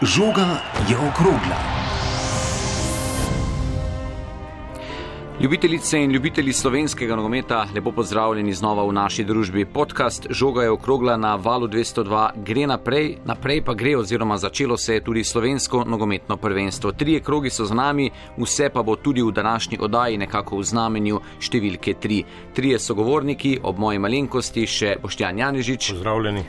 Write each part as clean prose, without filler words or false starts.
Žoga je okrogla. Ljubitelice in ljubitelji slovenskega nogometa, lepo pozdravljeni znova v naši družbi. Podcast Žoga je okrogla na Valu 202 gre naprej pa gre oziroma začelo se je tudi slovensko nogometno prvenstvo. 3 krogi so z nami, vse pa bo tudi v današnji oddaji nekako v znamenju številke 3. 3 sogovorniki, ob moji malenkosti še Boštjan Janežič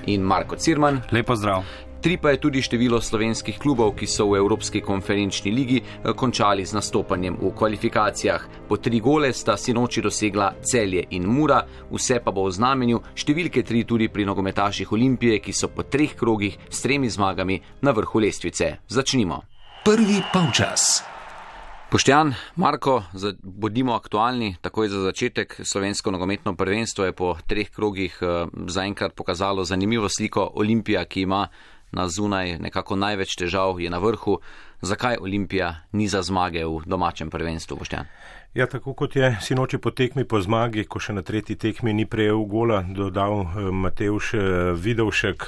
in Marko Cirman. Lep pozdrav. 3 pa je tudi število slovenskih klubov, ki so v Evropski konferenčni ligi končali z nastopanjem v kvalifikacijah. Po 3 gole sta sinoči dosegla Celje in Mura, vse pa bo v znamenju številke 3 tudi pri nogometaših Olimpije, ki so po 3 krogih s 3 zmagami na vrhu lestvice. Začnimo. Prvi polčas. Boštjan, Marko, bodimo aktualni, takoj za začetek. Slovensko nogometno prvenstvo je po 3 krogih zaenkrat pokazalo zanimivo sliko. Olimpija, ki ima na zunaj nekako največ težav, je na vrhu. Zakaj Olimpija ni za zmage v domačem prvenstvu, Boštjan? Ja, tako kot je sinoči po tekmi po zmagi, ko še na 3. tekmi ni prejel gola, dodal Matevž Vidovšek,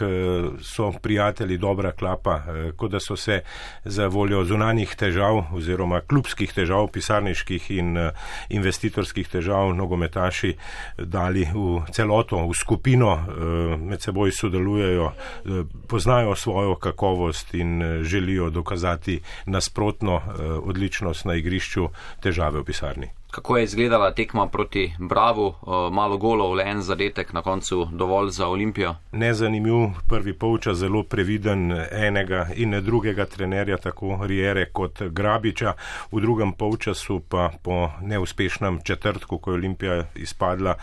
so prijatelji dobra klapa, kot da so se za voljo zunanjih težav oziroma klubskih težav, pisarniških in investitorskih težav nogometaši dali v celoto, v skupino, med seboj sodelujejo, poznajo svojo kakovost in želijo dokazati nasprotno odličnost na igrišču, težave v pisarni. Kako je izgledala tekma proti Bravu? Malo golov, le en zadetek, na koncu dovolj za Olimpijo? Nezanimiv prvi polčas, zelo previden enega in drugega trenerja, tako Riere kot Grabiča. V drugem polčasu pa po neuspešnem četrtku, ko je Olimpija izpadla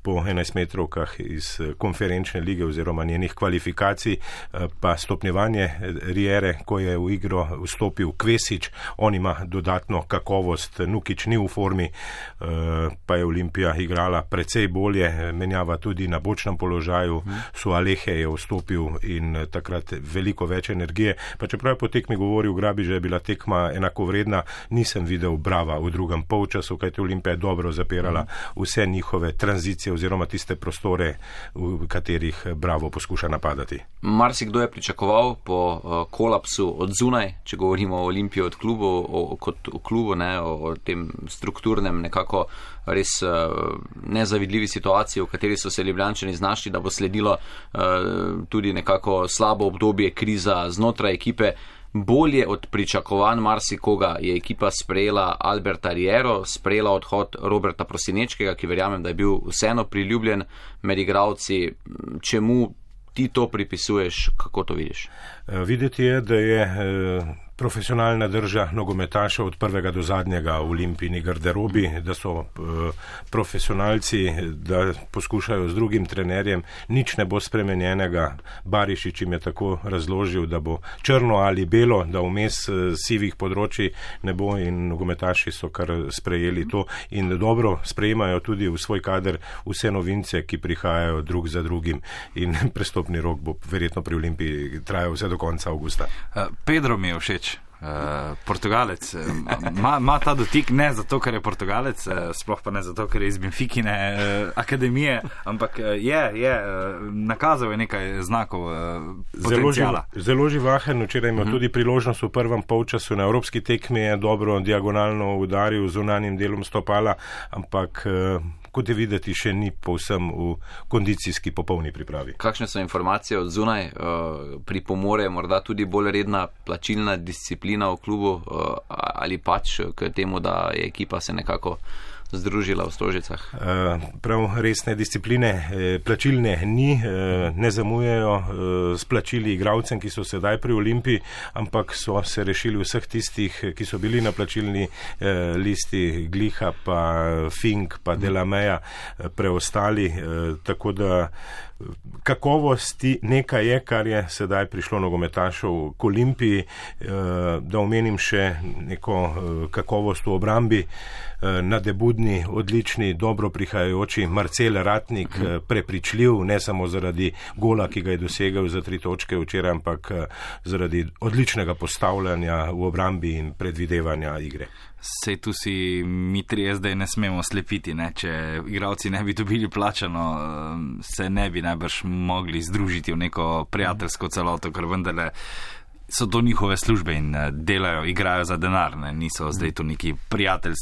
po 11 metrovkah iz konferenčne lige oziroma njenih kvalifikacij, pa stopnjevanje Riere, ko je v igro vstopil Kvesič, on ima dodatno kakovost, Nukić ni v formi, pa je Olimpija igrala precej bolje, menjava tudi na bočnem položaju, Sualehe je vstopil in takrat veliko več energije. Pa čeprav je po tekmi govoril Grabič, da je bila tekma enakovredna, nisem videl Brava v drugem polčasu, kajti Olimpija je dobro zapirala vse njihove tranzicije oziroma tiste prostore, v katerih Bravo poskuša napadati. Marsikdo je pričakoval po kolapsu od zunaj, če govorimo o Olimpiji od klubu, kot o klubu, o tem strukturnem, nekako res nezavidljivi situaciji, v kateri so se Ljubljančani znašli, da bo sledilo tudi nekako slabo obdobje, kriza znotraj ekipe. Bolje od pričakovanj marsikoga je ekipa sprejela Alberta Riero, sprejela odhod Roberta Prosinečkega, ki verjamem, da je bil vseeno priljubljen med igralci. Čemu ti to pripisuješ, kako to vidiš? Videti je, da je profesionalna drža nogometaša od prvega do zadnjega v Olimpijini garderobi, da so profesionalci, da poskušajo z drugim trenerjem, nič ne bo spremenjenega. Barišič jim je tako razložil, da bo črno ali belo, da vmes sivih področji ne bo, in nogometaši so kar sprejeli to in dobro sprejemajo tudi v svoj kader vse novince, ki prihajajo drug za drugim, in prestopni rok bo verjetno pri Olimpiji trajal vse do konca avgusta. Pedro mi je všeč. Portugalec ima ta dotik, ne zato, ker je Portugalec, sploh pa ne zato, ker je iz Benfikine akademije, ampak je nakazal je nekaj znakov potencijala. Zelo živahen, včeraj ima tudi priložnost v prvem polčasu na evropski tekmi, je dobro diagonalno udaril z zunanjim delom stopala, ampak kot je videti, še ni povsem v kondicijski popolni pripravi. Kakšne so informacije od zunaj? Pripomore morda tudi bolj redna plačilna disciplina v klubu ali pač k temu, da je ekipa se nekako združila v Stožicah? Prav resne discipline plačilne ni, ne zamujajo s plačili igralcem, ki so sedaj pri Olimpiji, ampak so se rešili vseh tistih, ki so bili na plačilni listi, Gliha pa Fink pa Delameja, preostali, tako da kakovosti nekaj je, kar je sedaj prišlo nogometašov k Olimpiji. Da omenim še neko kakovost v obrambi, nadebudni, odlični, dobro prihajajoči Marcel Ratnik, prepričljiv, ne samo zaradi gola, ki ga je dosegel za 3 točke včeraj, ampak zaradi odličnega postavljanja v obrambi in predvidevanja igre. Sej tu si mi trije zdaj ne smemo slepiti, ne? Če igralci ne bi dobili plačano, se ne bi najbrž mogli združiti v neko prijateljsko celoto, ker vendarle so to njihove službe in delajo, igrajo za denar, ne? Niso zdaj to neki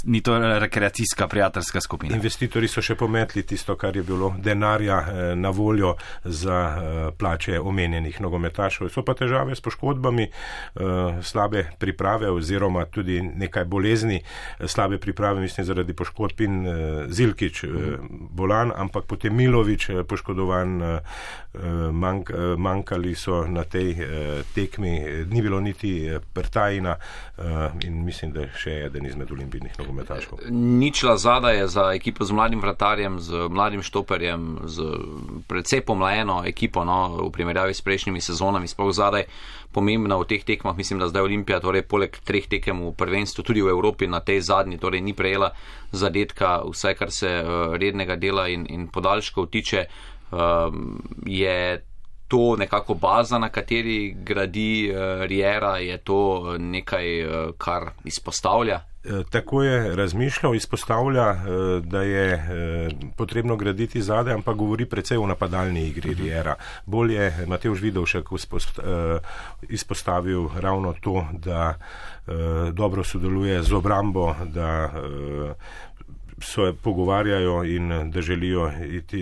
ni to rekreacijska prijateljska skupina. Investitorji so še pometli tisto, kar je bilo denarja na voljo za plače omenjenih nogometašev. So pa težave s poškodbami, slabe priprave oziroma tudi nekaj bolezni, slabe priprave, mislim, zaradi poškodb in Zilkič bolan, ampak potem Milović poškodovan, manjkali so na tej tekmi, ni bilo niti Pertajina in mislim, da še eden izmed olimpijnih nogometaškov. Ničla zada je za ekipo z mladim vratarjem, z mladim štoperjem, z precej pomlajeno ekipo, no, v primerjavi s prejšnjimi sezonami, sploh zadaj pomembna v teh tekmah. Mislim, da zdaj Olimpija, torej poleg 3 tekem v prvenstvu, tudi v Evropi na tej zadnji, torej ni prejela zadetka, vsaj kar se rednega dela in podaljškov tiče, je to nekako baza, na kateri gradi Riera, je to nekaj, kar izpostavlja? Tako je razmišljal, izpostavlja, da je potrebno graditi zade, ampak govori precej o napadalni igri Riera. Bolj je Matevž Vidovšek izpostavil ravno to, da dobro sodeluje z obrambo, da se pogovarjajo in da želijo iti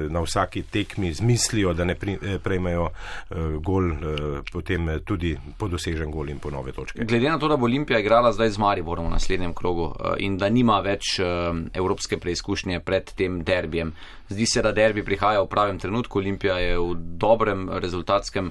na vsaki tekmi z mislijo, da ne prejmejo gol, potem tudi podosežen gol in po nove točke. Glede na to, da bo Olimpija igrala zdaj z Mariborom v naslednjem krogu in da nima več evropske preizkušnje pred tem derbijem, zdi se, da derbi prihaja v pravem trenutku, Olimpija je v dobrem rezultatskem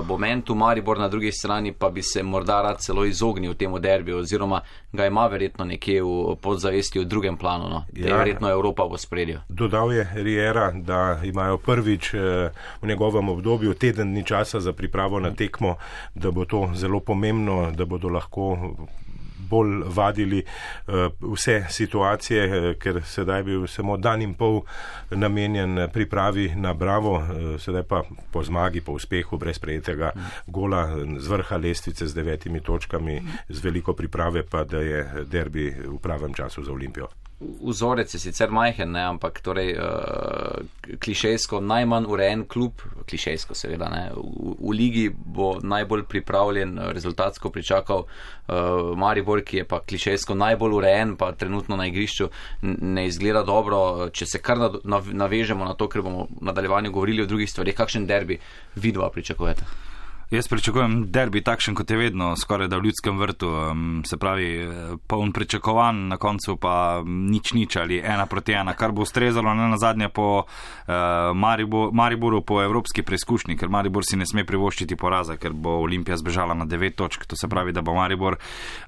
momentu, Maribor na drugi strani pa bi se morda rad celo izognil temu derbiju, oziroma ga ima verjetno nekje v podzavesti v drugem planu, no. Ja, verjetno Evropa v ospredju. Dodal je Riera, da imajo prvič v njegovem obdobju teden dni časa za pripravo na tekmo, da bo to zelo pomembno, da bodo lahko bolj vadili vse situacije, ker sedaj bil samo dan in pol namenjen pripravi na Bravo, sedaj pa po zmagi, po uspehu, brez prejetega gola z vrha lestvice z 9 točkami, z veliko priprave pa, da je derbi v pravem času za Olimpijo. Vzorec je sicer majhen, ne, ampak torej klišejsko najmanj urejen klub, klišejsko seveda, ne, v ligi bo najbolj pripravljen, rezultatsko pričakal Maribor, ki je pa klišejsko najbolj urejen, pa trenutno na igrišču ne izgleda dobro. Če se kar navežemo na to, ker bomo v nadaljevanju govorili o drugih stvarih, kakšen derbi vidva pričakujete? Jaz pričakujem derbi takšen, kot je vedno, skoraj da v Ljudskem vrtu, se pravi, poln pričakovan, na koncu pa nič ali 1-1, kar bo ustrezalo ne nazadnje po Mariboru po evropski preizkušnji, ker Maribor si ne sme privoščiti poraza, ker bo Olimpija zbežala na 9 točk, to se pravi, da bo Maribor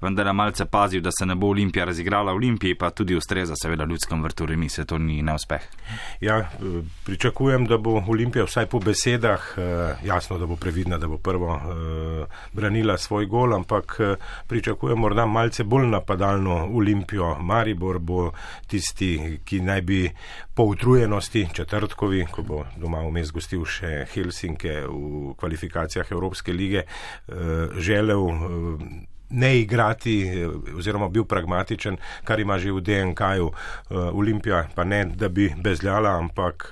vendar malce pazil, da se ne bo Olimpija razigrala, Olimpiji pa tudi ustreza seveda v Ljudskem vrtu remise, to ni neuspeh. Ja, pričakujem, da bo Olimpija vsaj po besedah, jasno, da bo previdna, da bo prvo branila svoj gol, ampak pričakujem morda malce bolj napadalno Olimpijo. Maribor bo tisti, ki naj bi po utrujenosti četrtkovi, ko bo doma vmes gostil še Helsinke v kvalifikacijah Evropske lige, želel ne igrati oziroma bil pragmatičen, kar ima že v DNK-ju. Olimpija pa ne, da bi bezljala, ampak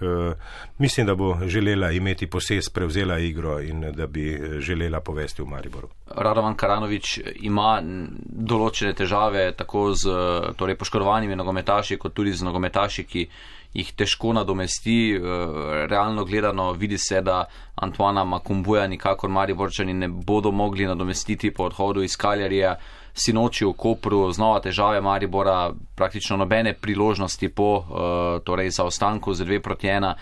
mislim, da bo želela imeti posest, prevzela igro in da bi želela povesti v Mariboru. Radovan Karanović ima določene težave tako z torej poškodovanimi nogometaši, kot tudi z nogometaši, ki jih težko nadomesti. Realno gledano vidi se, da Antoana Makumbuja nikakor Mariborčani ne bodo mogli nadomestiti po odhodu iz Kaljarija. Sinoči v Kopru znova težave Maribora, praktično nobene priložnosti po torej zaostanku z 2-1.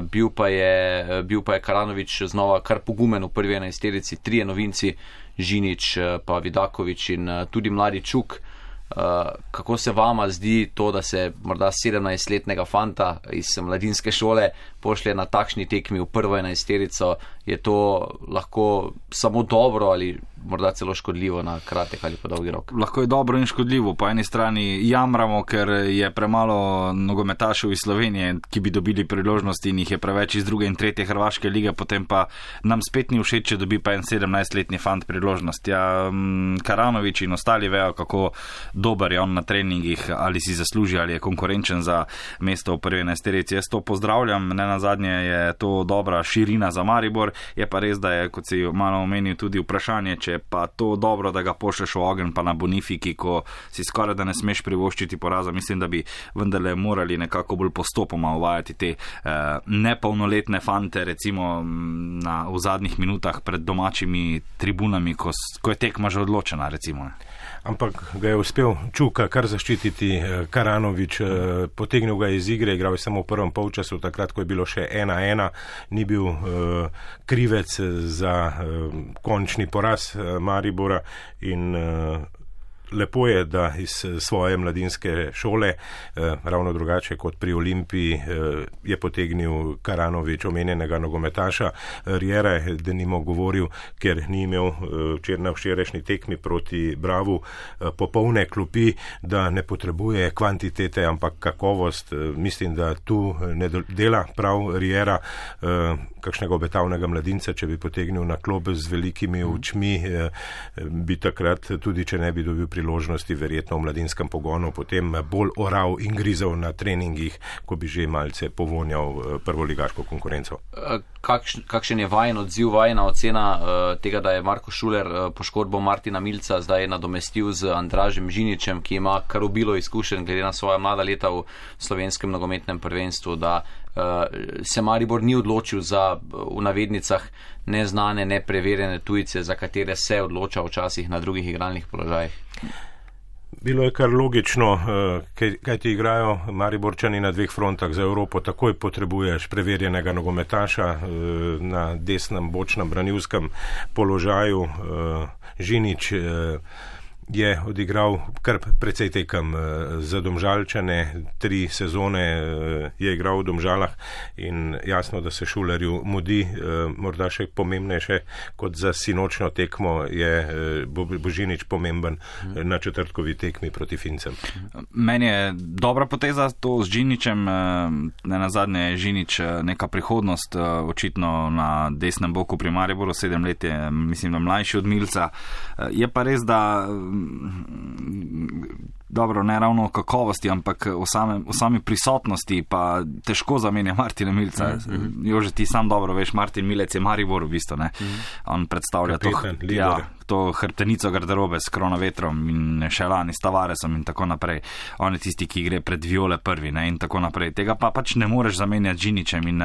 Bil pa je Karanović znova kar pogumen v prvi 11-terici, 3 novinci, Žinić, pa Vidaković in tudi mladi Čuk. Kako se vama zdi to, da se morda 17-letnega fanta iz mladinske šole pošlje na takšni tekmi v prvo 11-terico? Je to lahko samo dobro ali morda celo škodljivo na kratek ali pa dolgi rok? Lahko je dobro in škodljivo. Po eni strani jamramo, ker je premalo nogometašev iz Slovenije, ki bi dobili priložnosti in jih je preveč iz 2. in 3. hrvaške lige, potem pa nam spet ni všeč, če dobi pa en 17-letni fant priložnost. Ja, Karanović in ostali vejo, kako dober je on na treningih, ali si zasluži, ali je konkurenčen za mesto v prvi 11. Jaz to pozdravljam, ne nazadnje je to dobra širina za Maribor, je pa res, da je, kot si malo omenil, tudi vprašanje, če je pa to dobro, da ga pošleš v ogenj pa na Bonifiki, ko si skoraj da ne smeš privoščiti poraza. Mislim, da bi vendarle morali nekako bolj postopoma uvajati te nepolnoletne fante, recimo v zadnjih minutah pred domačimi tribunami, ko je tekma že odločena, recimo. Ampak ga je uspel Čuka kar zaščititi Karanović, potegnil ga iz igre, igral je samo v prvem polčasu, takrat, ko je bilo še 1-1, ni bil krivec za končni poraz Maribora in lepo je, da iz svoje mladinske šole, ravno drugače kot pri Olimpiji, je potegnil Karanović omenjenega nogometaša. Riera je denimo govoril, ker ni imel na včerajšnji tekmi proti Bravu popolne klopi, da ne potrebuje kvantitete, ampak kakovost. Mislim, da tu ne dela prav Riera, kakšnega obetavnega mladinca, če bi potegnil na klop z velikimi očmi, bi takrat, tudi če ne bi dobil priložnosti, verjetno v mladinskem pogonu, potem bolj oral in grizel na treningih, ko bi že malce povonjal prvoligaško konkurenco. Kakšen je vajen odziv, vajena ocena tega, da je Marko Šuler poškodbo Martina Milca zdaj nadomestil z Andražem Žiničem, ki ima kar obilo izkušenj glede na svoja mlada leta v slovenskem nogometnem prvenstvu, da se Maribor ni odločil za, v navednicah, neznane, nepreverjene tujce, za katere se odloča včasih na drugih igralnih položajih? Bilo je kar logično, kaj ti igrajo Mariborčani na 2 frontah. Za Evropo takoj potrebuješ preverjenega nogometaša na desnem bočnem branilskem položaju. Žinič je odigral kar precej tekem za Domžalčane, 3 sezone je igral v Domžalah in jasno, da se Šulerju mudi. Morda še pomembnejše kot za sinočno tekmo je Božinič pomemben na četrtkovi tekmi proti Fincem. Meni je dobra poteza to z Žiničem, ne nazadnje je Žinič neka prihodnost, očitno na desnem boku pri Mariboru, 7 let je, mislim, da mlajši od Milca. Je pa res, da dobro, ne ravno o kakovosti, ampak o sami prisotnosti pa težko zamenja Martina Milca. Jože, ti sam dobro veš, Martin Milec je Maribor v bistvu, ne? On predstavlja to hrbtenico garderobe s Kronovetrom in še lani s Tavaresom in tako naprej. On je tisti, ki gre pred Viole prvi, ne? In tako naprej. Tega pa pač ne moreš zamenjati Žiničem in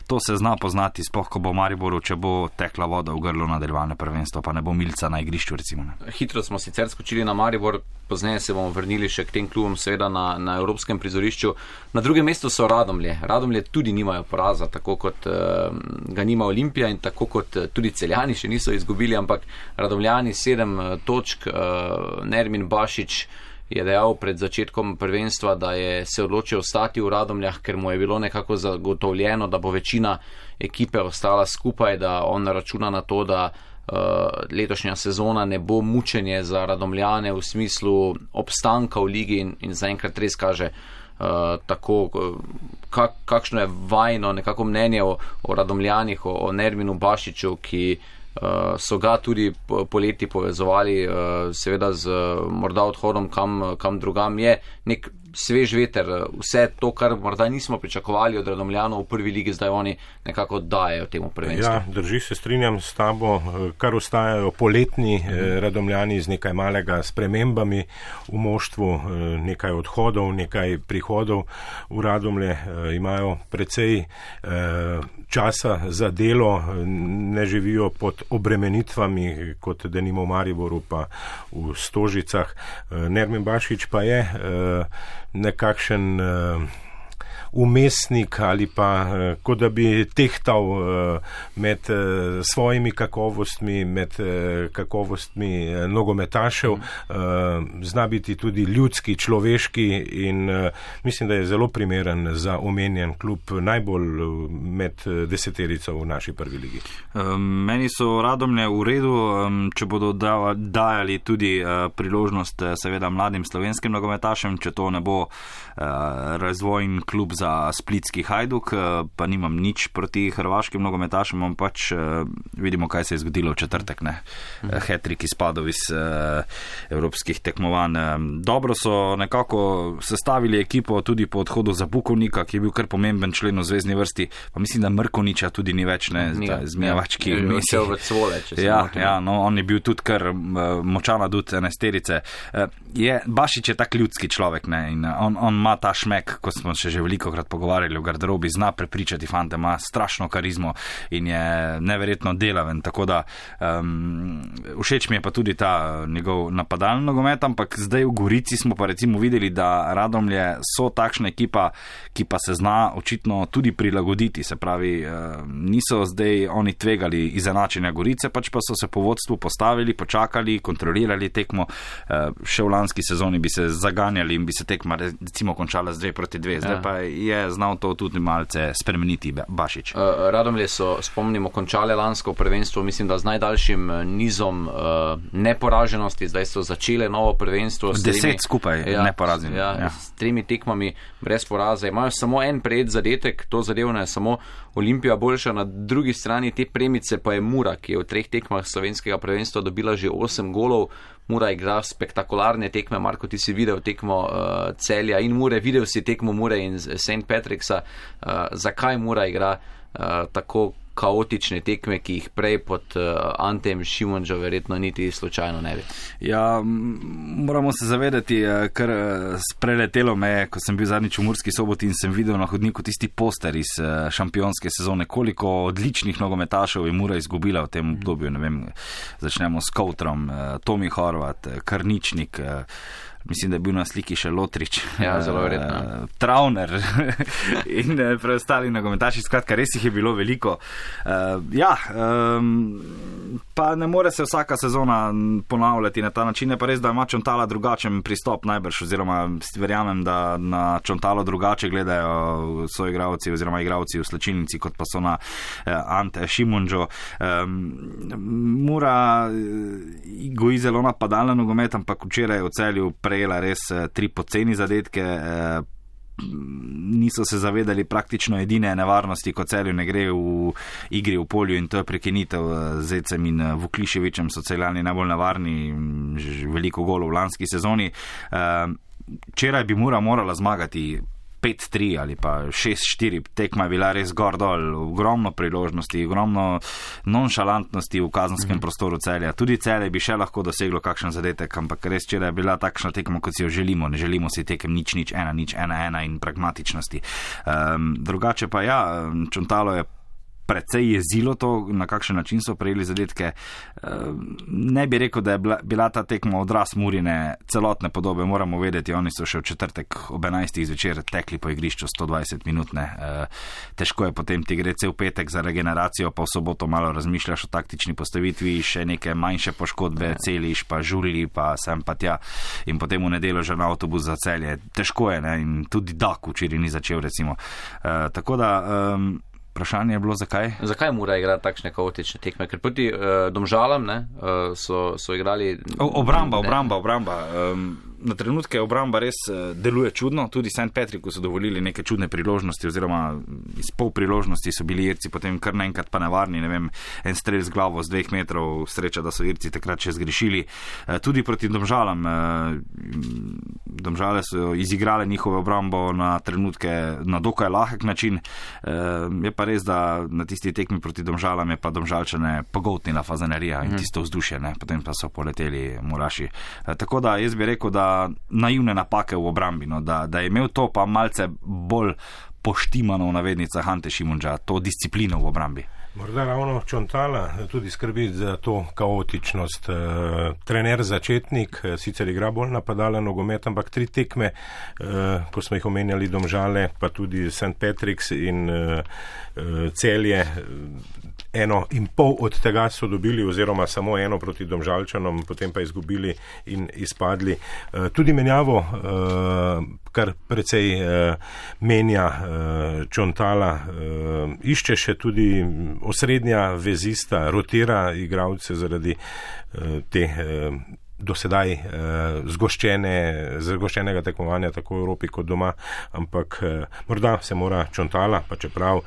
to se zna poznati, sploh ko bo v Mariboru, če bo tekla voda v grlu nadaljevanje prvenstva, pa ne bo Milca na igrišču, recimo. Ne? Hitro smo sicer skočili na Maribor, pozneje se bomo vrnili še k tem klubom, seveda na evropskem prizorišču. Na drugem mestu so Radomlje. Radomlje tudi nimajo poraza, tako kot ga nima Olimpija in tako kot tudi Celjani še niso izgubili, ampak Radomljani 7 točk. Nermin Bašić je dejal pred začetkom prvenstva, da je se odločil ostati v Radomljah, ker mu je bilo nekako zagotovljeno, da bo večina ekipe ostala skupaj, da on računa na to, da letošnja sezona ne bo mučenje za Radomljane v smislu obstanka v ligi in zaenkrat res kaže tako, kakšno je vajno nekako mnenje o Radomljanih, o Nerminu Bašiću, ki so ga tudi poleti povezovali seveda z morda odhodom kam drugam. Je nek svež veter, vse to, kar morda nismo pričakovali od Radomljanov v prvi ligi, zdaj oni nekako dajejo temu prvenstvu. Ja, drži, se strinjam s tabo, kar ostajajo poletni Radomljani z nekaj malega spremembami v moštvu, nekaj odhodov, nekaj prihodov. V Radomlje imajo precej časa za delo, ne živijo pod obremenitvami, kot denimo v Mariboru pa v Stožicah. Nermin Bašić pa je nekakšen umestnik ali pa kot da bi tehtal med svojimi kakovostmi, med kakovostmi nogometašev, zna biti tudi ljudski, človeški in mislim, da je zelo primeren za omenjen klub, najbolj med deseterico v naši prvi ligi. Meni so Radomlje v redu, če bodo dajali tudi priložnost seveda mladim slovenskim nogometašem, če to ne bo razvojni klub za splitski Hajduk, pa nimam nič proti hrvaškim nogometašem, pač vidimo, kaj se je zgodilo v četrtek, ne? Hat-trick izpadov iz evropskih tekmovanj. Dobro so nekako sestavili ekipo tudi po odhodu za Bukovnika, ki je bil kar pomemben člen v zvezni vrsti, pa mislim, da Mrkoniča tudi ni več, ne, zmijavački. On je bil tudi kar močan adut enesterice. Bašič je tak ljudski človek, ne, in on ima ta šmek, ko smo še že velikokrat pogovarjali v garderobi, zna prepričati fante, ima strašno karizmo in je neverjetno delaven, tako da všeč mi je pa tudi ta njegov napadalni nogomet, ampak zdaj v Gorici smo pa recimo videli, da Radomlje so takšna ekipa, ki pa se zna očitno tudi prilagoditi, se pravi, niso zdaj oni tvegali izenačenja Gorice, pač pa so se po vodstvu postavili, počakali, kontrolirali tekmo, še v lanski sezoni bi se zaganjali in bi se tekma recimo končala z 2-2, zdaj pa je znal to tudi malce spremeniti Bašič. Radomlje so, spomnimo, končale lansko prvenstvo, mislim, da z najdaljšim nizom neporaženosti, zdaj so začele novo prvenstvo. 10 skupaj neporaženi. S 3 tekmami brez poraza. Imajo samo en prejet zadetek, to zadevno je samo Olimpija boljša, na drugi strani te premice pa je Mura, ki je v 3 tekmah slovenskega prvenstva dobila že 8 golov. Mura igra spektakularne tekme, Marko, ti si videl tekmo Celja in Mure, videl si tekmo Mure in St. Patricksa. Zakaj Mura igra tako kaotične tekme, ki jih prej pod Antejem Šimunžo verjetno niti slučajno ne bi? Ja, moramo se zavedati, kar preletelo me, ko sem bil zadnjič v Murski Soboti in sem videl na hodniku tisti poster iz šampionske sezone, koliko odličnih nogometašev je Mura izgubila v tem obdobju, ne vem, začnemo s Koutrom, Tomi Horvat, Karničnik, mislim, da je bil na sliki še Lotrič, zelo verjetno. Travner in preostali nogometaši, skratka, res jih je bilo veliko. Pa ne more se vsaka sezona ponavljati na ta način, pa res, da ima Čontala drugačen pristop najbrž, oziroma verjamem, da na Čontalo drugače gledajo soigralci oziroma igralci v slačilnici, kot pa so na Ante Šimunžo. Mura goji zelo napadalna nogomet, ampak včeraj v Celju prejela res 3 poceni zadetke, niso se zavedali praktično edine nevarnosti, ko Celju ne gre v igri v polju, in to je prekinitev z Zecem in Vukliševičem, so Celjani najbolj nevarni, veliko golov v lanski sezoni. Včeraj bi Mura morala zmagati 5-3 ali pa 6-4, tekma je bila res gor dol, ogromno priložnosti, ogromno nonšalantnosti v kazenskem prostoru Celja. Tudi Celje bi še lahko doseglo kakšen zadetek, ampak res včeraj je bila takšna tekma, kot si jo želimo. Ne želimo si tekem 0-0, 1-0, 1-1 in pragmatičnosti. Drugače pa Čontalo je precej jezilo to, na kakšen način so prejeli zadetke. Ne bi rekel, da je bila ta tekma odraz Murine celotne podobe. Moramo vedeti, oni so še v četrtek ob 11. zvečer tekli po igrišču 120 minut. Težko je potem ti gre cel petek za regeneracijo, pa v soboto malo razmišljaš o taktični postavitvi, še neke manjše poškodbe, celiš, pa žulji, pa sem pa tja, in potem v nedeljo že na avtobus za Celje. Težko je, ne? In tudi Dak včeraj ni začel, recimo. Tako da vprašanje je bilo, zakaj? Zakaj Mura igra takšne kaotične tekme? Ker proti Domžalam so igrali... Obramba. Na trenutke obramba res deluje čudno, tudi St. Patricku so dovolili neke čudne priložnosti, oziroma iz pol priložnosti so bili Irci potem kar naenkrat pa nevarni, ne vem, en strel z glavo z 2 metrov, sreča, da so Irci takrat še zgrešili. Tudi proti Domžalam. Domžale so izigrale njihove obrambo na trenutke na dokaj lahek način. Je pa res, da na tisti tekmi proti Domžalam je pa Domžalčane pogoltnila fazanerija in tisto vzdušje, ne? Potem pa so poleteli Muraši. Tako da jaz bi rekel, da naivne napake v obrambi, no? Da je imel to pa malce bolj poštimano v navednicah Ante Šimunža, to disciplino v obrambi. Morda ravno Čontala tudi skrbi za to kaotičnost. Trener začetnik, sicer igra bolj napadala nogomet, ampak 3 tekme, ko smo jih omenjali Domžale, pa tudi St. Patrick's in Celje, 1,5 od tega so dobili, oziroma samo 1 proti Domžalčanom, potem pa izgubili in izpadli. Tudi menjavo, kar precej menja Čontala, išče še tudi osrednja vezista, rotira igralce zaradi te dosedaj zgoščenega tekmovanja tako v Evropi kot doma, ampak morda se mora Čontala, pa čeprav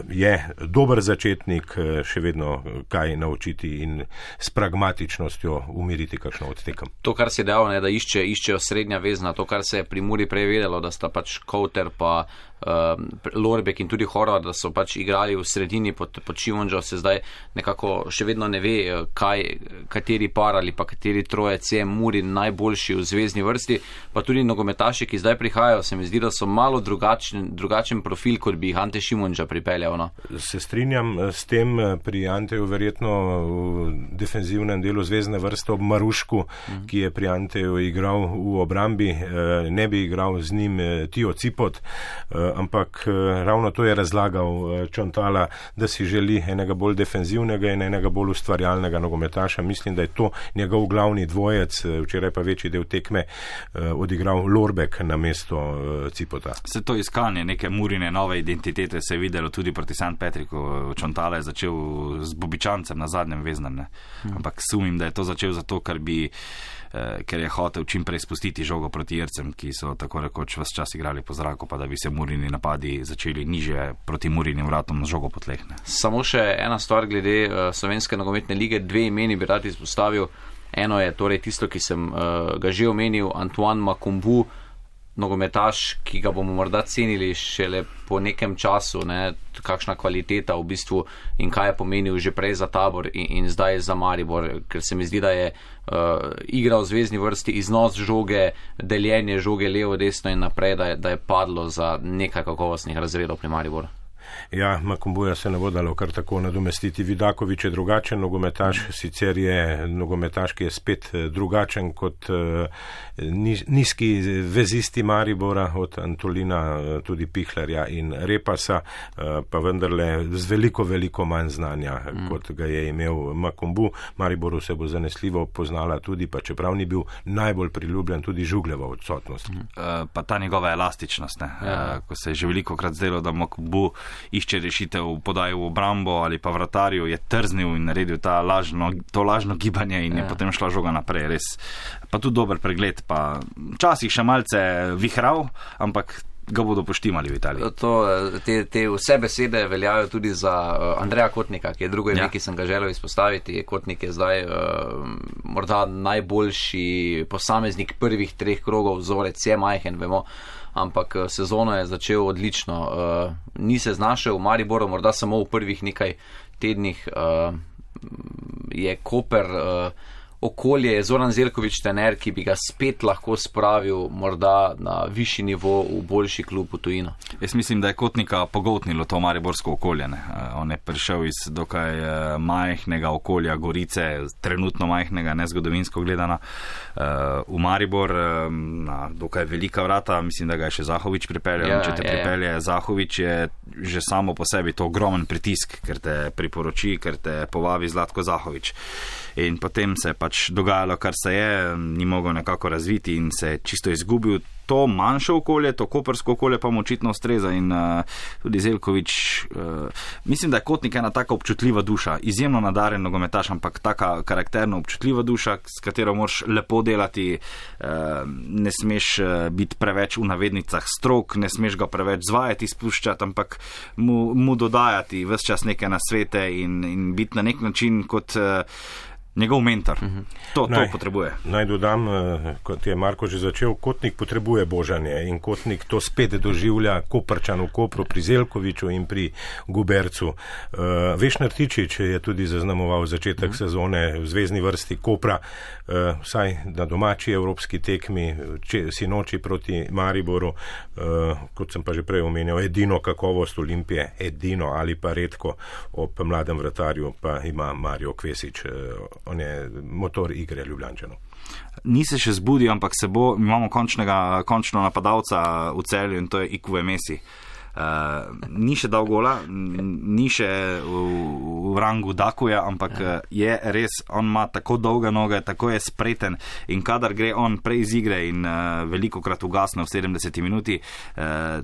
je dober začetnik, še vedno kaj naučiti in s pragmatičnostjo umiriti kakšno od tekem. To, kar si dejal, da iščejo srednja vezna, to, kar se je pri Muri prej vedelo, da sta pač Kouter pa Lorbek in tudi Horvat, da so pač igrali v sredini pod Šimunžo, se zdaj nekako še vedno ne ve, kateri par ali pa kateri trojec je Muri najboljši v zvezni vrsti, pa tudi nogometaši, ki zdaj prihajajo, se mi zdi, da so malo drugačen profil, kot bi jih Ante Šimunža pripeljal. No? Se strinjam s tem, pri Anteju verjetno v defenzivnem delu zvezne vrste ob Marušku, ki je pri Anteju igral v obrambi, ne bi igral z njim Tio Cipot, ampak ravno to je razlagal Čontala, da si želi enega bolj defenzivnega in enega bolj ustvarjalnega nogometaša. Mislim, da je to njegov glavni dvojec, včeraj pa večji del tekme odigral Lorbek na mesto Cipota. Se to iskanje neke Murine nove identitete se je videlo tudi proti St. Patricku. Čontala je začel z Bobičancem na zadnjem veznem, ampak sumim, da je to začel zato, ker je hotel čim prej spustiti žogo proti Jercem, ki so tako rekoč ves čas igrali po zraku, pa da bi se Murini napadi začeli niže proti Murinim vratom na žogo potlehne. Samo še ena stvar glede Slovenske nogometne lige, 2 imeni bi rad izpostavil. Eno je torej tisto, ki sem ga že omenil, Antoine Makumbu, nogometaš, ki ga bomo morda cenili šele po nekem času, kakšna kvaliteta v bistvu in kaj je pomenil že prej za Tabor in zdaj za Maribor, ker se mi zdi, da je igra v zvezni vrsti, iznos žoge, deljenje žoge levo, desno in naprej, da je padlo za nekaj kakovostnih razredov pri Mariboru. Ja, Makumbuja se ne bo dalo kar tako nadomestiti. Vidaković je drugačen nogometaš, sicer je nogometaš, ki je spet drugačen kot nizki vezisti Maribora, od Antolina, tudi Pihlerja in Repasa, pa vendarle z veliko manj znanja, kot ga je imel Makumbu. Mariboru se bo zanesljivo poznala tudi, pa čeprav ni bil najbolj priljubljen, tudi Žugljeva odsotnost. Pa ta njegova elastičnost, ko se je že velikokrat zdelo, da Makumbu išče rešitev v podaji v obrambo ali pa vratarju, je trznil in naredil to lažno gibanje in je potem šla žoga naprej. Res. Pa tudi dober pregled, pa včasih še malce vihral, ampak ga bodo poštimali v Italiji. Te vse besede veljajo tudi za Andreja Kotnika, ki je drugo ime, ki sem ga želel izpostaviti. Kotnik je zdaj morda najboljši posameznik prvih 3 krogov, vzorec je majhen, vemo, ampak sezono je začel odlično. Ni se znašel v Mariboru, morda samo v prvih nekaj tednih. Je Koper okolje, je Zoran Zeljković trener, ki bi ga spet lahko spravil morda na višji nivo v boljši klub v tujino. Jaz mislim, da je Kotnika pogoltnilo to mariborsko okolje. On je prišel iz dokaj majhnega okolja Gorice, trenutno majhnega, ne zgodovinsko gledano, v Maribor, na dokaj velika vrata. Mislim, da ga je še Zahović pripeljal. Če te pripelje Zahović, je že samo po sebi to ogromen pritisk, ker te priporoči, ker te povabi Zlatko Zahović. In potem se je pač dogajalo, kar se je, ni mogel nekako razviti in se je čisto izgubil. To manjše okolje, to kopersko okolje pa mu očitno ustreza in tudi Zeljković, mislim, da je Kotnik ena taka občutljiva duša, izjemno nadaren nogometaš, ampak taka karakterno občutljiva duša, s katero moraš lepo delati, ne smeš biti preveč v navednicah strok, ne smeš ga preveč zvajati, spuščati, ampak mu dodajati ves čas neke nasvete in biti na nek način kot njegov mentor. To potrebuje. Naj dodam, kot je Marko že začel, Kotnik potrebuje božanje in Kotnik to spet doživlja Koprčan v Kopru, pri Zelkoviču in pri Gubercu. Vešner Tičič je tudi zaznamoval začetek sezone v zvezni vrsti Kopra, vsaj na domači evropski tekmi, sinoči proti Mariboru, kot sem pa že prej omenil, edino kakovost Olimpije, edino ali pa redko ob mladem vratarju pa ima Mario Kvesič. On je motor igre Ljubljančanov. Ni se še zbudil, ampak imamo končno napadalca v Celju in to je Ikuve Messi. Ni še dal gola, ni še v rangu Dakuja, ampak je res, on ima tako dolge noge, tako je spreten in kadar gre on prej iz igre in veliko krat ugasne v 70 minuti,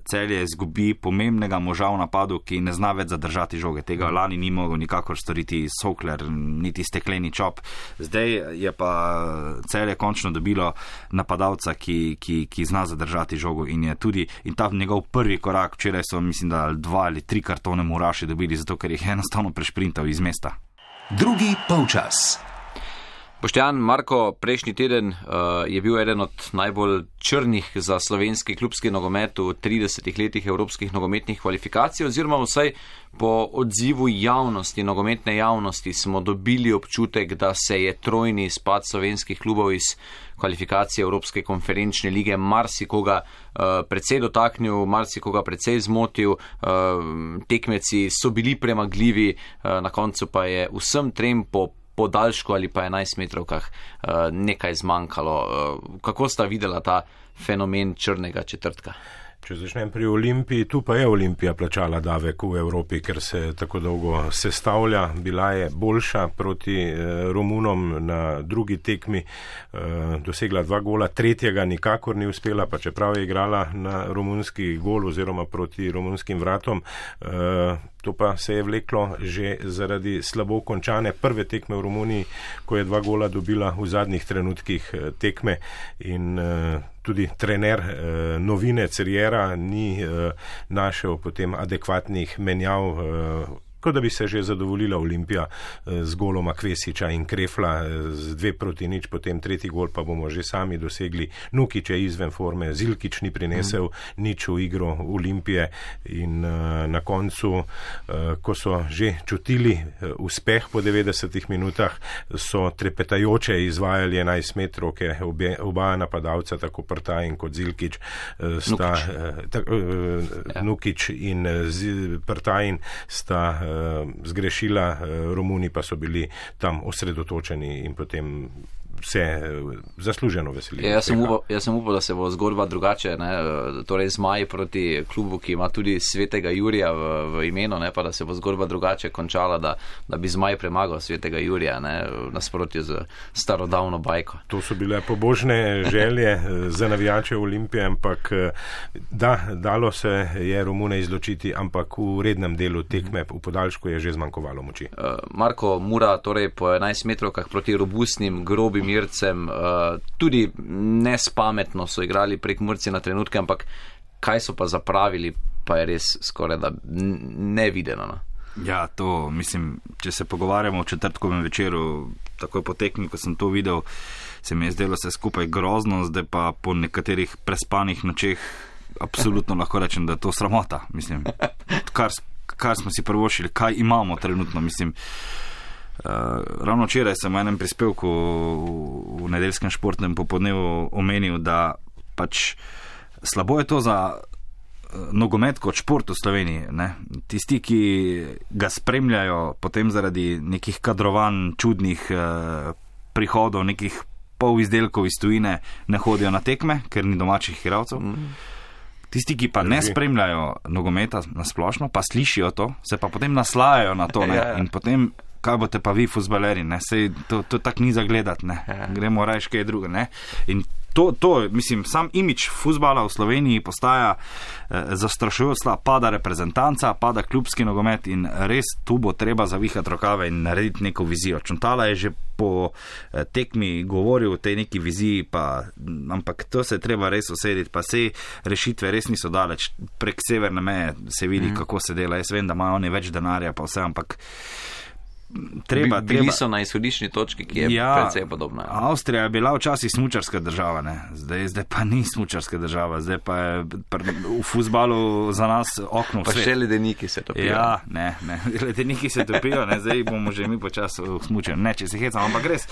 Celje izgubi pomembnega moža v napadu, ki ne zna več zadržati žoge. Tega lani ni mogel nikakor storiti Sokler, niti Stekleni Čop. Zdaj je pa Celje končno dobilo napadalca, ki zna zadržati žogo in je tudi, in ta njegov prvi korak, včeraj so, mislim, da 2 ali 3 kartone Muraši dobili, zato ker jih je enostavno prešprintal iz mesta. Drugi polčas. Boštjan, Marko, prejšnji teden je bil eden od najbolj črnih za slovenski klubski nogomet v 30 letih evropskih nogometnih kvalifikacij, oziroma vsaj po odzivu javnosti, nogometne javnosti smo dobili občutek, da se je trojni izpad slovenskih klubov iz kvalifikacije Evropske konferenčne lige marsikoga precej dotaknil, marsikoga precej zmotil, tekmeci so bili premagljivi, na koncu pa je vsem trem po podaljšku ali pa 11 metrovkah nekaj zmanjkalo. Kako sta videla ta fenomen črnega četrtka? Če začnem pri Olimpiji, tu pa je Olimpija plačala davek v Evropi, ker se tako dolgo sestavlja. Bila je boljša proti Romunom na drugi tekmi, dosegla 2 gola, tretjega nikakor ni uspela, pa čeprav je igrala na romunski gol oziroma proti romunskim vratom. To pa se je vleklo že zaradi slabo končane prve tekme v Romuniji, ko je 2 gola dobila v zadnjih trenutkih tekme in tudi trener novinec Riera ni našel potem adekvatnih menjav, kot da bi se že zadovoljila Olimpija z goloma Kvesiča in Krefla z 2-0, potem tretji gol pa bomo že sami dosegli. Nukić je izven forme, Zilkić ni prinesel nič v igro Olimpije in na koncu, ko so že čutili uspeh po 90 minutah, so trepetajoče izvajali 11 metrovke, oba napadalca, tako Prtajin kot Zilkić, Nukić in Prtajin sta zgrešila, Romuni pa so bili tam osredotočeni in potem se zasluženo veselili. Jaz sem upal, da se bo zgodba drugače, ne? Torej Zmaj proti klubu, ki ima tudi Svetega Jurija v imenu, ne? Pa da se bo zgodba drugače končala, da bi Zmaj premagal Svetega Jurija, ne? V nasprotju z starodavno bajko. To so bile pobožne želje za navijače Olimpije, ampak dalo se je Romune izločiti, ampak v rednem delu tekme v podaljšku je že zmanjkovalo moči. Marko, Mura, torej po 11 metrovkah proti robustnim, grobim Mircem, tudi nespametno so igrali prek Murci na trenutke, ampak kaj so pa zapravili, pa je res skoraj da nevideno. No? Ja, to mislim, če se pogovarjamo o četrtkovem večeru, takoj po tekmi, ko sem to videl, se mi je zdelo vse skupaj grozno, zdaj pa po nekaterih prespanih nočeh absolutno lahko rečem, da je to sramota. Mislim, kar smo si prvošili, kaj imamo trenutno, mislim. Ravno včeraj sem v enem prispevku v nedeljskem športnem popodnevu omenil, da pač slabo je to za nogomet kot šport v Sloveniji. Ne? Tisti, ki ga spremljajo potem zaradi nekih kadrovanj, čudnih prihodov, nekih polizdelkov iz tujine, ne hodijo na tekme, ker ni domačih igralcev. Tisti, ki pa ne spremljajo nogometa na splošno, pa slišijo to, se pa potem naslajajo na to, ne? In potem kaj boste pa vi fuzbaleri, ne? Sej to tak ni za gledati, ne? Gremo rajš kaj druga, ne? In to, mislim, sam imidž fuzbala v Sloveniji postaja zastrašujoč slab, pada reprezentanca, pada klubski nogomet in res tu bo treba zavihati rokave in narediti neko vizijo. Čuntala je že po tekmi govoril o tej neki viziji, ampak to se je treba res usediti, pa sej rešitve res niso daleč. Prek severne meje se vidi, kako se dela. Jaz vem, da imajo oni več denarja, pa vse, ampak Bili so na izhodiščni točki, ki je precej podobna. Avstrija je bila včasih smučarska država, ne? Zdaj pa ni smučarska država, zdaj pa je v fuzbalu za nas okno vse. Pa še ledeniki se topijo. Ja, ne, ledeniki se topijo, ne? Zdaj bomo že mi počas smučali. Ne, če se hecam, ampak res,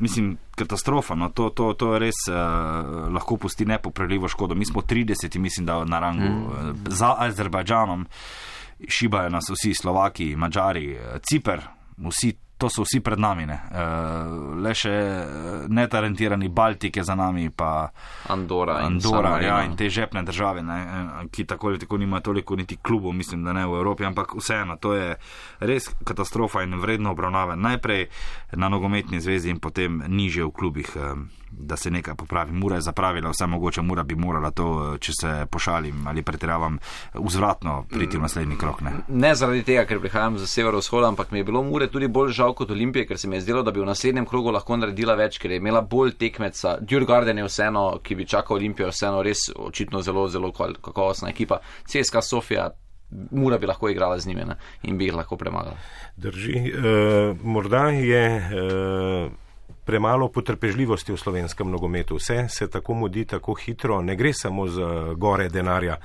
mislim, katastrofa, no, to res lahko pusti nepopravljivo škodo. Mi smo 30, mislim, da na rangu za Azerbajdžanom. Šibajo nas vsi, Slovaki, Mađari, Ciper, to so vsi pred nami, ne. Le še netalentirani Baltik je za nami, pa Andora in te žepne države, ne, ki tako ali tako nima toliko niti klubov, mislim, da ne v Evropi, ampak vseeno, to je res katastrofa in vredno obravnave. Najprej na nogometni zvezi in potem niže v klubih, da se nekaj popravi. Mura je zapravila, vse mogoče Mura bi morala to, če se pošalim ali pretiravam, vzvratno priti v naslednji krok. Ne zaradi tega, ker prihajam z severovzhoda, ampak mi je bilo Mure tudi bolj žal kot Olimpije, ker se mi je zdelo, da bi v naslednjem krogu lahko naredila več, ker je imela bolj tekmeca. Djurgården je vseeno, ki bi čakal Olimpijo, vseeno res očitno zelo, zelo kakovostna ekipa. CSKA Sofia, Mura bi lahko igrala z njimi, ne? In bi jih lahko premagala. Drži. Morda je premalo potrpežljivosti v slovenskem nogometu. Vse se tako mudi, tako hitro, ne gre samo za gore denarja.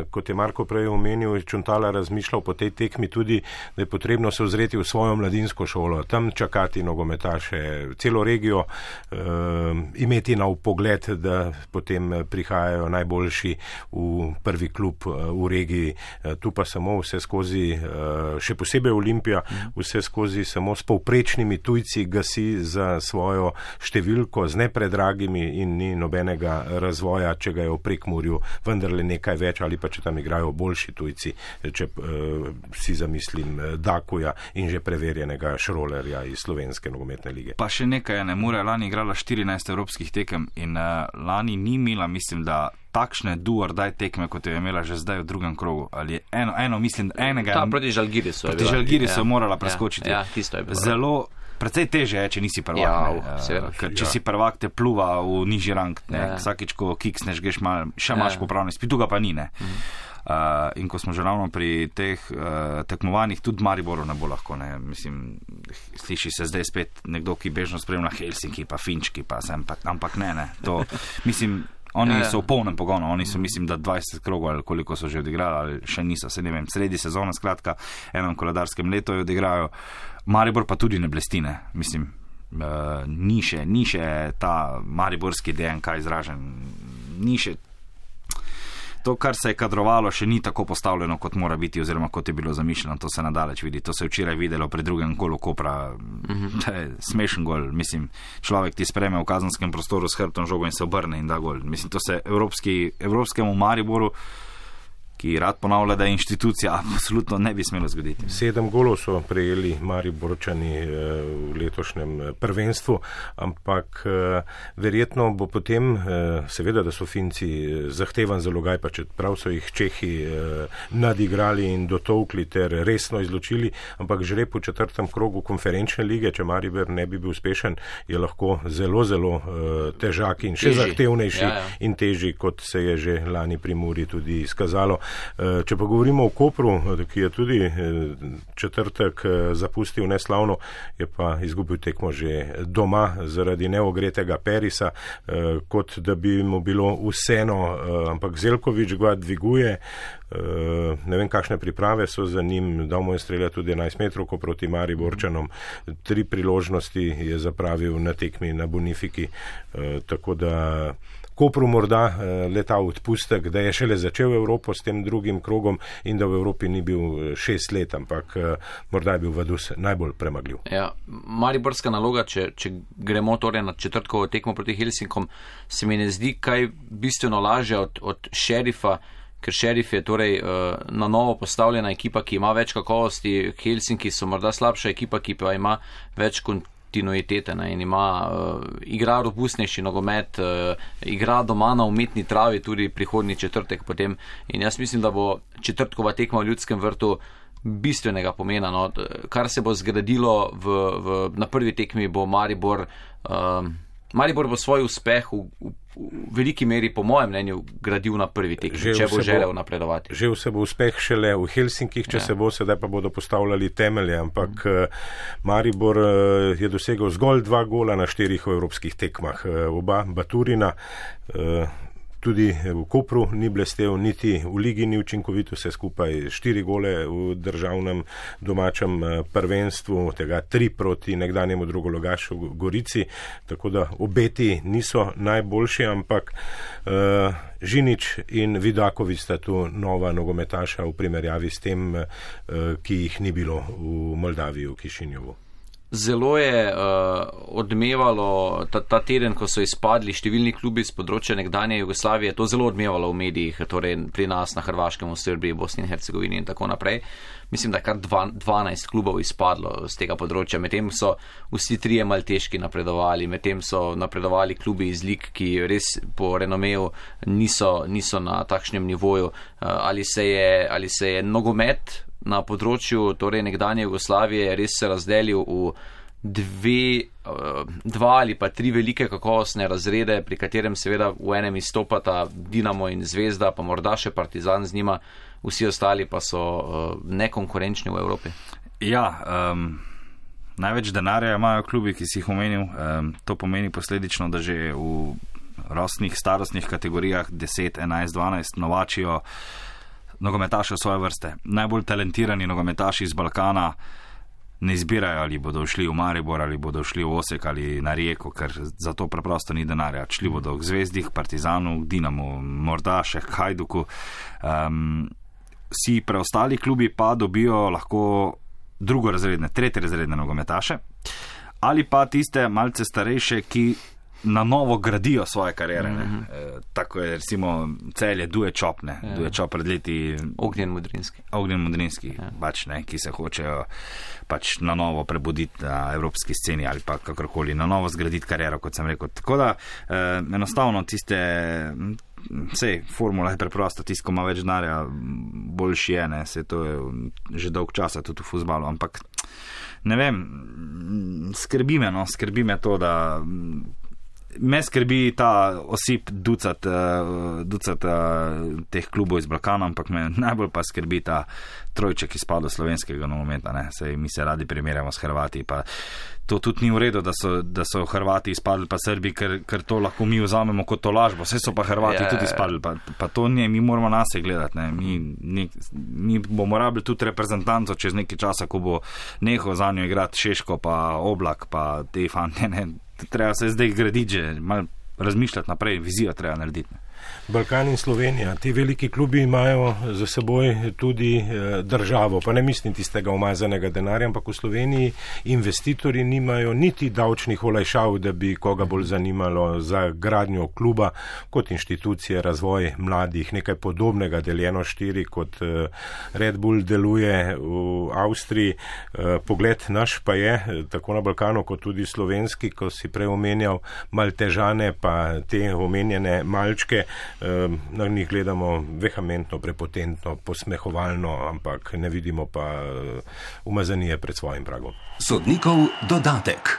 Kot je Marko prej omenil, Čuntala razmišljal po tej tekmi tudi, da je potrebno se ozreti v svojo mladinsko šolo, tam čakati nogometaše, celo regijo imeti na vpogled, da potem prihajajo najboljši v prvi klub v regiji. Tu pa samo vse skozi, še posebej Olimpija, vse skozi samo s povprečnimi tujci gasi za svojo številko z nepredragimi in ni nobenega razvoja, če ga je v Prekmurju vendarle nekaj več ali pa če tam igrajo boljši tujci, če si zamislim Dakuja in že preverjenega Šrolerja iz slovenske nogometne lige. Pa še nekaj, Mura je lani igrala 14 evropskih tekem in lani ni imela, mislim, da takšne do or die tekme, kot je imela že zdaj v drugem krogu. Ali eno mislim, enega... Proti Žalgirisu. Proti Žalgirisu morala preskočiti. Ja, tisto je bilo. Zelo precej teže je, če nisi prvak. Če si prvak, te pluva v nižji rang. Vsakič, ko kiksneš, greš še imaš popravno izpit, tu ga pa ni. In ko smo že ravno pri teh tekmovanjih, tudi Mariboru ne bo lahko. Mislim, sliši se zdaj spet nekdo, ki bežno spremlja Helsinki, pa Finčki, pa sem, ampak ne. To, mislim, oni so v polnem pogonu, oni so, mislim, da 20 krogov ali koliko so že odigrali, ali še niso, se ne vem, sredi sezona, skratka, enem koledarskem letu jo odigrajo. Maribor pa tudi ne blestine, mislim, ni še ta mariborski DNK izražen, ni še to, kar se je kadrovalo, še ni tako postavljeno, kot mora biti, oziroma kot je bilo zamišljeno, to se nadaleč vidi, to se je včeraj videlo pri drugem golu Kopra, smešen gol, mislim, človek ti spreme v kazenskem prostoru s hrbtom žogo in se obrne in da gol, mislim, to se evropskemu Mariboru, ki rad ponavlja, da je inštitucija, absolutno ne bi smelo zgoditi. 7 golov so prejeli Mariborčani v letošnjem prvenstvu, ampak verjetno bo potem, seveda, da so Finci zahtevan zalogaj, pa čeprav so jih Čehi nadigrali in dotovkli ter resno izločili, ampak že po 4. krogu konferenčne lige, če Maribor ne bi bil uspešen, je lahko zelo, zelo težak in še zahtevnejši in težji, kot se je že lani pri Muri tudi izkazalo. Če pa govorimo o Kopru, ki je tudi četrtek zapustil neslavno, je pa izgubil tekmo že doma zaradi neogretega Perisa, kot da bi mu bilo vseeno, ampak Zelkovič ga dviguje, ne vem, kakšne priprave so za njim, dal mu je streljati tudi 11 metrovko proti Mariborčanom, 3 priložnosti je zapravil na tekmi na Bonifiki, tako da Kopru morda leta odpustek, da je šele začel Evropo s tem drugim krogom in da v Evropi ni bil 6 let, ampak morda je bil Vaduz najbolj premagljiv. Ja, mariborska naloga, če gremo torej na četrtkovo tekmo proti Helsinkom, se mi ne zdi kaj bistveno lažje od Šerifa, ker Šerif je torej na novo postavljena ekipa, ki ima več kakovosti, Helsinki so morda slabša ekipa, ki pa ima več kontinuitete in ima, igra robustnejši nogomet, igra doma na umetni travi tudi prihodnji četrtek potem in jaz mislim, da bo četrtkova tekma v Ljudskem vrtu bistvenega pomena, kar se bo zgradilo na prvi tekmi bo Maribor Maribor bo svoj uspeh v veliki meri, po mojem mnenju, gradil na prvi tekmi, če bo želel napredovati. Že se bo uspeh šele v Helsinkih, če se bo, sedaj pa bodo postavljali temelje, ampak Maribor je dosegel zgolj 2 gola na 4 evropskih tekmah. Oba Baturina, tudi v Kopru ni blestev, niti v ligi ni učinkovito, vse skupaj 4 gole v državnem domačem prvenstvu, tega 3 proti nekdanjemu drugologašu Gorici, tako da obeti niso najboljši, ampak Žinič in Vidaković sta tu nova nogometaša v primerjavi s tem, ki jih ni bilo v Moldaviji, v Kišinjovu. Zelo je odmevalo ta teden, ko so izpadli številni klubi z področja nekdanje Jugoslavije, to zelo odmevalo v medijih, torej pri nas na Hrvaškem, v Srbiji, Bosni in Hercegovini in tako naprej. Mislim, da je kar 12 klubov izpadlo z tega področja, medtem so vsi 3 malteški napredovali, medtem so napredovali klubi iz lig, ki res po renomeju niso na takšnem nivoju. Ali se je nogomet na področju torej nekdanje Jugoslavije res se razdelil v 2 ali pa 3 velike kakovostne razrede, pri katerem seveda v enem izstopata Dinamo in Zvezda, pa morda še Partizan z njima, vsi ostali pa so nekonkurenčni v Evropi. Ja, največ denarja imajo klubi, ki si jih omenil. To pomeni posledično, da že v rostnih starostnih kategorijah 10, 11, 12 novačijo nogometaše svoje vrste. Najbolj talentirani nogometaši iz Balkana ne izbirajo, ali bodo šli v Maribor, ali bodo šli v Osek ali na Rijeko, ker za to preprosto ni denarja. Šli bodo k Zvezdi, k Partizanu, k Dinamu, morda še k Hajduku. Vsi preostali klubi pa dobijo lahko drugorazredne, tretjerazredne nogometaše, ali pa tiste malce starejše, ki na novo gradijo svoje kariere. Tako je recimo Celje Duje Čop pred leti. Ognjen Modrinski. Pač, ki se hočejo pač na novo prebuditi na evropski sceni ali pa kakorkoli, na novo zgraditi kariero, kot sem rekel. Tako da enostavno tiste, sej, formula je preprosta, tisto, ko ima več denarja, boljši je, ne, se to je že dolg časa tudi v fuzbalu, ampak ne vem, skrbi me to, da me skrbi ta osip ducat teh klubov iz Balkana, ampak me najbolj pa skrbi ta trojček izpadu slovenskega nogometa. Sej mi se radi primerjamo s Hrvati, pa to tudi ni v redu, da so Hrvati izpadli pa Srbi, ker to lahko mi vzamemo kot tolažbo. Vse so pa Hrvati tudi izpadli, pa to ne, mi moramo nase gledati. Mi bomo rabili tudi reprezentanco čez nekaj časa, ko bo nehal za njo igrati Šeško pa Oblak pa te fante, treba se zdaj graditi, že malo razmišljati naprej, vizijo treba narediti. Balkan in Slovenija, ti veliki klubi imajo za seboj tudi državo, pa ne mislim tistega umazanega denarja, ampak v Sloveniji investitorji nimajo niti davčnih olajšav, da bi koga bolj zanimalo za gradnjo kluba kot inštitucije, razvoj mladih, nekaj podobnega deljeno 4, kot Red Bull deluje v Avstriji. Pogled naš pa je, tako na Balkanu kot tudi slovenski, ko si prej omenjal Maltežane, pa te omenjene malčke, na njih gledamo vehementno, prepotentno, posmehovalno, ampak ne vidimo pa umazanije pred svojim pragom. Sodnikov dodatek.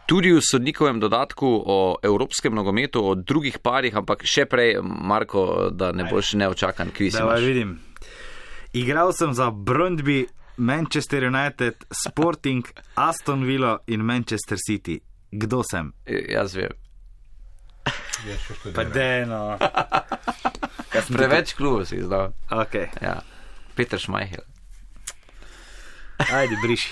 Tudi v sodnikovem dodatku o evropskem nogometu, o drugih parih, ampak še prej, Marko, da ne boš neočakan, kviz imaš. Vidim. Igral sem za Brøndby, Manchester United, Sporting, Aston Villa in Manchester City. Kdo sem? Jaz vem. Pa deno. Preveč klubov si izdal. Okay. Ja. Peter Schmeichel. Ajde, briši.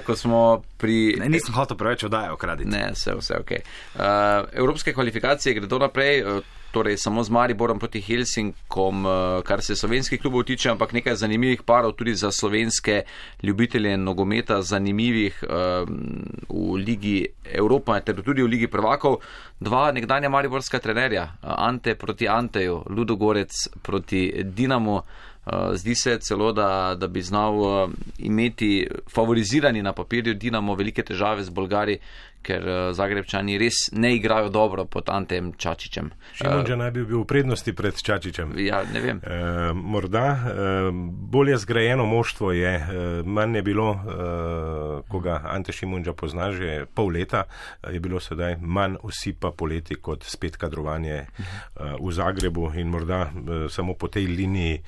Ko smo pri... Nisem hotel preveč oddaje okraditi. Ne, vse ok. Evropske kvalifikacije gredo naprej, torej samo z Mariborom proti Helsinkom, kar se slovenskih klubov tiče, ampak nekaj zanimivih parov tudi za slovenske ljubitelje nogometa, zanimivih v Ligi Evropa, ter tudi v Ligi prvakov. 2 nekdanja mariborska trenerja, Ante proti Anteju, Ludogorec proti Dinamu. Zdi se celo, da bi znal imeti favorizirani na papirju Dinamo velike težave z Bolgari, ker Zagrebčani res ne igrajo dobro pod Antejem Čačićem. Šimundža naj bi bil v prednosti pred Čačićem. Ja, ne vem. Morda bolje zgrajeno moštvo je, manj je bilo, ko ga Ante Šimundža pozna že pol leta, je bilo sedaj manj osipa poleti kot spet kadrovanje v Zagrebu in morda samo po tej liniji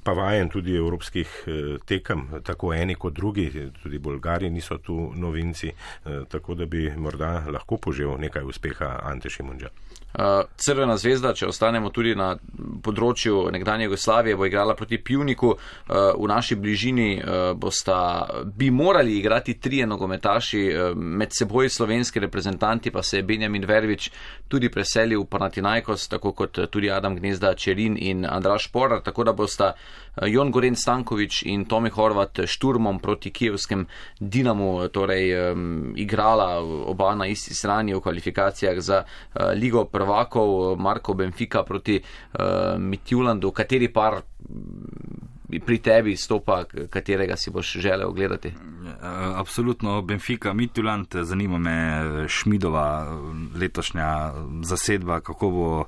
pa vajen tudi evropskih tekem, tako eni kot drugi, tudi Bolgari niso tu novinci, tako da bi morda lahko požel nekaj uspeha Ante Šimundža. Crvena zvezda, če ostanemo tudi na področju nekdanje Jugoslavije, bo igrala proti Pivniku. V naši bližini bi morali igrati 3 nogometaši, med seboj slovenski reprezentanti, pa se je Benjamin Verbič tudi preselil v Panathinaikos, tako kot tudi Adam Gnezda Čerin in Andraž Porar, tako da bosta Jon Goren Stanković in Tomi Horvat šturmom proti kijevskem Dinamu torej igrala oba na isti strani v kvalifikacijah za Ligo prvakov. Marko Benfica proti Midtjyllandu. Kateri par pri tebi stopa, katerega si boš želel gledati? Absolutno Benfica, Midtjylland, zanima me Šmidova letošnja zasedba, kako bo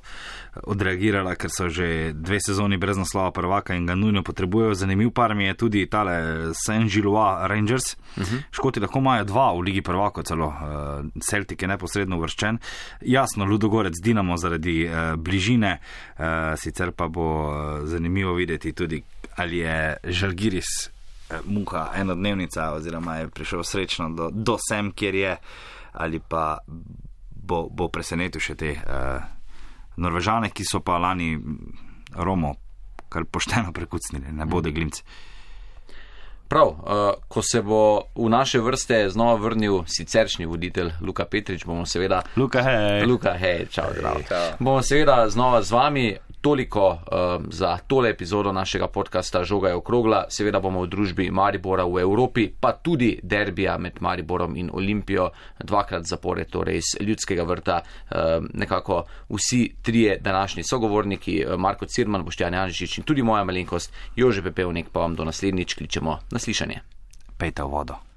odreagirala, ker so že 2 sezoni brez naslova prvaka in ga nujno potrebujejo. Zanimiv par mi je tudi tale Saint-Gilloise Rangers. Škoti lahko imajo 2 v Ligi prvakov celo, Celtic je neposredno uvrščen. Jasno, Ludogorec Dinamo zaradi bližine, sicer pa bo zanimivo videti tudi, ali je Žalgiris muha enodnevnica oziroma je prišel srečno do sem, kjer je, ali pa bo presenetil še te Norvežane, ki so pa lani Romo kar pošteno prekucnili, ne bode glimci. Prav, ko se bo v naše vrste znova vrnil siceršnji voditelj Luka Petrič, bomo seveda... Luka, hej, čau, zdrav. Bomo seveda znova z vami. Toliko za tole epizodo našega podcasta Žoga je okrogla. Seveda bomo v družbi Maribora v Evropi, pa tudi derbija med Mariborom in Olimpijo 2krat zapored, torej iz Ljudskega vrta, nekako vsi 3 današnji sogovorniki, Marko Cirman, Boštjan Janžič in tudi moja malenkost Jože Pepevnik, pa vam do naslednjič kličemo na slišanje. Pejte v vodo.